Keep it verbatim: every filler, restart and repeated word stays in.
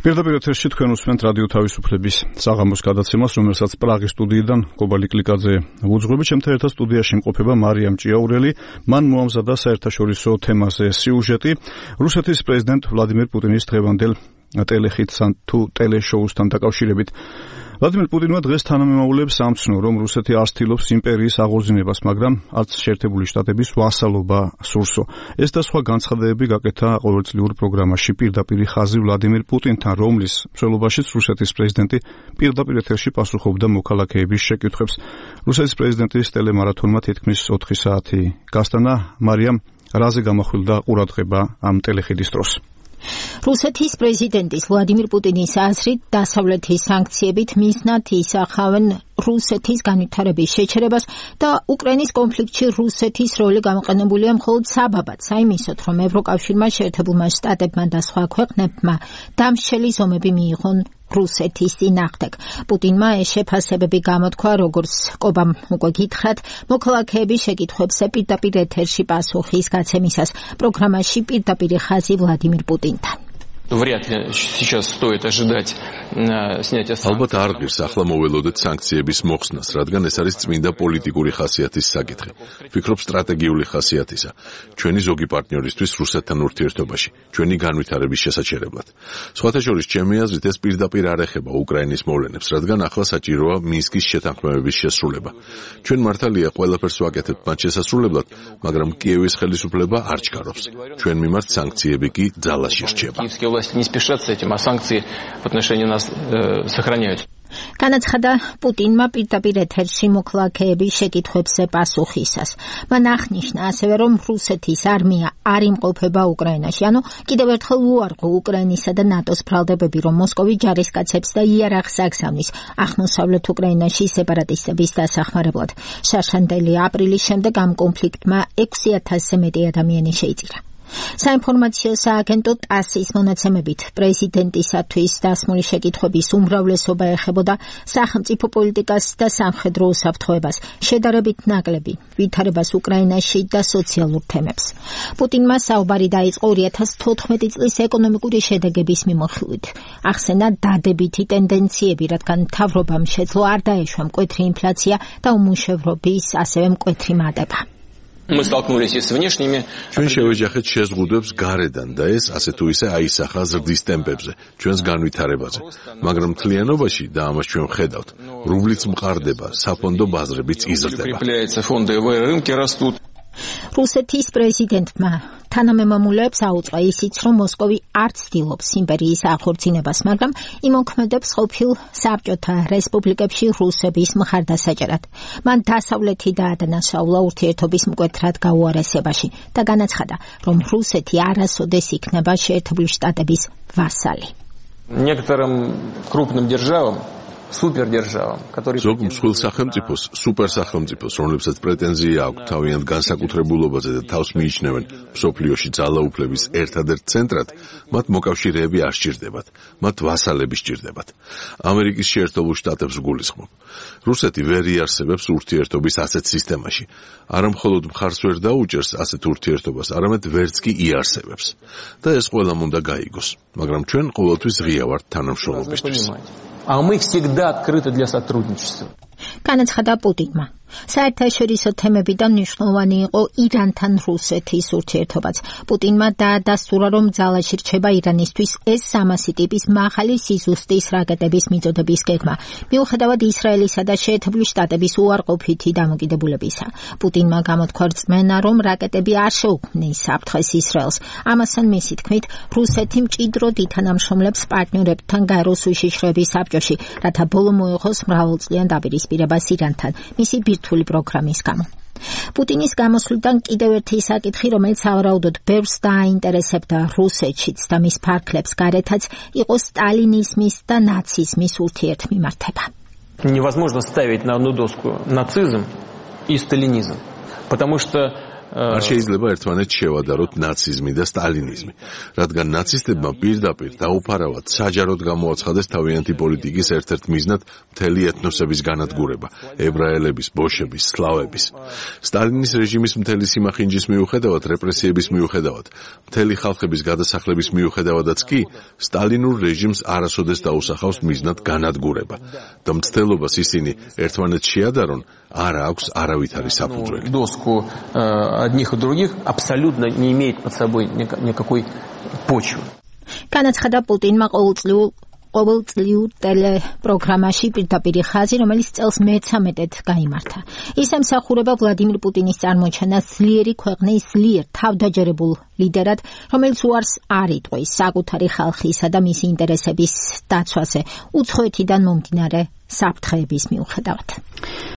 Პირდაპირ ეთერში თქვენ უსმენთ რადიო თავისუფლების საღამოს გადაცემას, რომელსაც პრაღის სტუდიიდან გობალი კლიკაძე უძღვებით. Ჩემთან ერთად სტუდიაში იმყოფება მარიამ ჭიაურელი. მან მოამზადა საერთაშორისო თემაზე სიუჟეტი რუსეთის პრეზიდენტ ვლადიმერ პუტინის დღევანდელ ტელეხიტსთან თუ ტელეშოუსთან დაკავშირებით. ვლადიმერ პუტინმა დღეს თანამემამულეებს ამცნო, რომ რუსეთი არ ცდილობს იმპერიის აღორძინებას, მაგრამ არც შეერთებული შტატების ვასალობა სურსო. ეს და სხვა განცხადებები გაკეთა ყოველწლიურ პროგრამაში პირდაპირ ხაზი ვლადიმერ პუტინთან, რომლის მსვლელობაშიც რუსეთის პრეზიდენტი პირდაპირ ეთერში პასუხობდა მოქალაქეების შეკითხვებს. რუსეთის პრეზიდენტის ტელემარათონმა თითქმის ოთხი საათი გასტანა. მარიამ, რაზე გამახვილდა ყურადღება ამ ტელეხიდის დროს? რუსეთის პრეზიდენტის ვლადიმერ პუტინის აზრით დასავლეთის სანქციებით მიზნად ისახავენ რუსეთის განვითარების შეჩერებას და უკრაინის კონფლიქტში რუსეთის როლი გამოყენებულია მხოლოდ საბაბად, საიმისოდ, რომ ევროკავშირმა, შეერთებულმა შტატებმა და სხვა ქვეყნებმა დამსჯელი ზომები მიიღონ რუსეთის წინააღმდეგ. პუტინმა ეს შეფასებები გამოთქვა, როგორც კობამ უკვე გითხრათ, მოქალაქეების შეკითხვებზე პირდაპირ ეთერში პასუხის გაცემისას პროგრამაში პირდაპირ ხაზი ვლადიმერ პუტინთან. Вряд ли сейчас стоит ожидать снятия санкций. ალბათ არ ღირს ახლა მოველოდეთ სანქციების მოხსნას, რადგან ეს არის წმინდა პოლიტიკური ხასიათის საკითხი. ვფიქრობ სტრატეგიული ხასიათისა. ჩვენი ზოგი პარტნიორისთვის რუსეთთან ურთიერთობაში, ჩვენი განვითარების შესაჩერებლად. სხვათა შორის, ჩემი აზრით, ეს პირდაპირ არ ეხება უკრაინის მოვლენებს, რადგან ახლა საჭიროა მინსკის შეთანხმებების შესრულება. ჩვენ მართალია ყველაფერს ვაკეთებთ მათ შესასრულებლად, მაგრამ კიევის ხელისუფლება არ ჩქარობს. ჩვენ მიმართ სანქციები კი ძალაში რჩება. Власти не спешат с этим, а санкции в отношении нас э, сохраняют. განაცხადა პუტინმა პირდაპირ ეთერში მოქალაქეების შეკითხვებზე პასუხისას. მან აღნიშნა ასევე, რომ რუსეთის არმია არ იმყოფება უკრაინაში, ანუ კიდევ ერთხელ უარყო უკრაინისა და ნატოს ბრალდებები, რომ მოსკოვი ჯარისკაცებს და იარაღს აგზავნის აღმოსავლეთ უკრაინაში სეპარატისტების დასახმარებლად. შარშანდელი აპრილის შემდეგ ამ კონფლიქტმა ექვსი ათასზე მეტი ადამიანი შეიწირა. საინფორმაციო სააგენტო ტასის მონაცემებით პრეზიდენტისათვის დასმული შეკითხვების უმრავლესობა ეხებოდა სახელმწიფო პოლიტიკას და სამხედრო უსაფრთხოებას, შედარებით ნაკლები ვითარებას უკრაინაში და სოციალურ თემებს. პუტინმა საუბარი დაიწყო ორი ათას თოთხმეტი წლის ეკონომიკური შედეგების მიმოხილვით. ახსენა დადებითი ტენდენციები, რადგან მთავრობამ შეძლო არ დაეშვა მკვეთრი ინფლაცია და უმუშევრობის, ასევე მკვეთრი მატება. Мы столкнулись и с внешними. ჩვენ შევეჯახეთ შეზღუდვებს გარედან და ეს ასე თუ ისე აისახა ზრდის ტემპებზე, ჩვენს განვითარებაზე. მაგრამ მთლიანობაში და ამას ჩვენ ვხედავთ, რუბლიც მყარდება, საფონდო ბაზრებიც იზრდება. რუსეთის პრეზიდენტმა თანამემამულეებს აუწყა ისიც, რომ მოსკოვი არ ცდილობს იმპერიის აღორძინებას, მაგრამ იმოქმედებს ყოფილ საბჭოთა რესპუბლიკებში რუსების მხარდასაჭერად. მან დასავლეთი დაადანაშაულა ურთიერთობის მკვეთრად გაუარესებაში და განაცხადა, რომ რუსეთი არასოდეს იქნება შეერთებული შტატების ვასალი. Некоторым крупным державам სუპერდержავამ, которые ზოგ მსხვილ სახელმწიფოს, სუპერსახელმწიფოს, რომლებსაც პრეტენზია აქვს თავიანთ განსაკუთრებულობაზე და თავს მიიჩნევენ მსოფლიოში ძალაუფლების ერთადერთ ცენტრად, მათ მოკავშირეები არ სჭირდებათ, მათ ვასალები სჭირდებათ. ამერიკის შეერთებულ შტატებს გულისხმობ. რუსეთი ვერ იარსებებს ურთიერთობის ასეთ სისტემაში. არა მხოლოდ მხარს ვერ დაუჭერს ასეთ ურთიერთობას, არამედ ვერც კი იარსებებს. და ეს ყველამ უნდა გაიგოს, მაგრამ ჩვენ ყოველთვის ღია ვართ თანამშრომლობისთვის. А мы всегда открыты для сотрудничества. განაცხადა პუტინმა. საერთაშორისო თემებიდან მნიშვნელოვანი იყო ირანთან რუსეთის ურთიერთობაც. პუტინმა დაადასტურა, რომ ძალაში რჩება ირანისთვის ეს სამასი ტიპის მაღალი სიზუსტის რაკეტების მიწოდების გეგმა, მიუხედავად ისრაელისა და შეერთებული შტატების უარყოფითი დამოკიდებულებისა. პუტინმა გამოთქვა რწმენა, რომ რაკეტები არ შეუქმნის საფრთხეს ისრაელს. ამასთან მისი თქმით, რუსეთი მჭიდროდ ითანამშრომლებს პარტნიორებთან გაეროს უშიშროების საბჭოში, რათა ბოლო მოეღოს მრავალწლიან დაპირისპირებას ირანთან. მისი ბირთვული პროგრამის გამო. პუტინის გამოსვლიდან კიდევ ერთი საკითხი, რომელიც ავარაუდოდ ბევრს დააინტერესებდა რუსეთშიც და მის ფარგლებს გარეთაც, იყო სტალინიზმის და ნაციზმის ურთიერთმიმართება. Невозможно ставить на одну доску нацизм и сталинизм, потому что არ შეიძლება ერთმანეთს შევადაროთ ნაციზმი და სტალინიზმი, რადგან ნაცისტებმა პირდაპირ დაუფარავად საჯაროდ გამოაცხადეს თავიანთი პოლიტიკის ერთ-ერთ მიზნად მთელი ეთნოსების განადგურება, ებრაელების, ბოშების, სლავების. სტალინის რეჟიმის მთელი სიმახინჯის მიუხედავად, რეპრესიების მიუხედავად, მთელი ხალხების გადასახლების მიუხედავადაც კი, სტალინურ რეჟიმს არასოდეს დაუსახავს მიზნად განადგურება. და მცდელობას ისინი ერთმანეთს შეადარონ, არ აქვს არავითარი საფუძველი. Доску одних и других абсолютно не имеет под собой никакой почвы. განაცხადა პუტინმა ყოველწლიურ ყოველწლიურ ტელეპროგრამაში პირდაპირი ხაზი, რომელიც წელს მეთერთმეტედ გაიმართა. ის ემსახურება ვლადიმირ პუტინის წარმოჩენას ძლიერი ქვეყნის ძლიერ თავდაჯერებულ ლიდერად, რომელიც უარს არ იტყვის საკუთარი ხალხისა და მისი ინტერესების დაცვაზე უცხოეთიდან მომდინარე საფრთხეების მიუხედავად.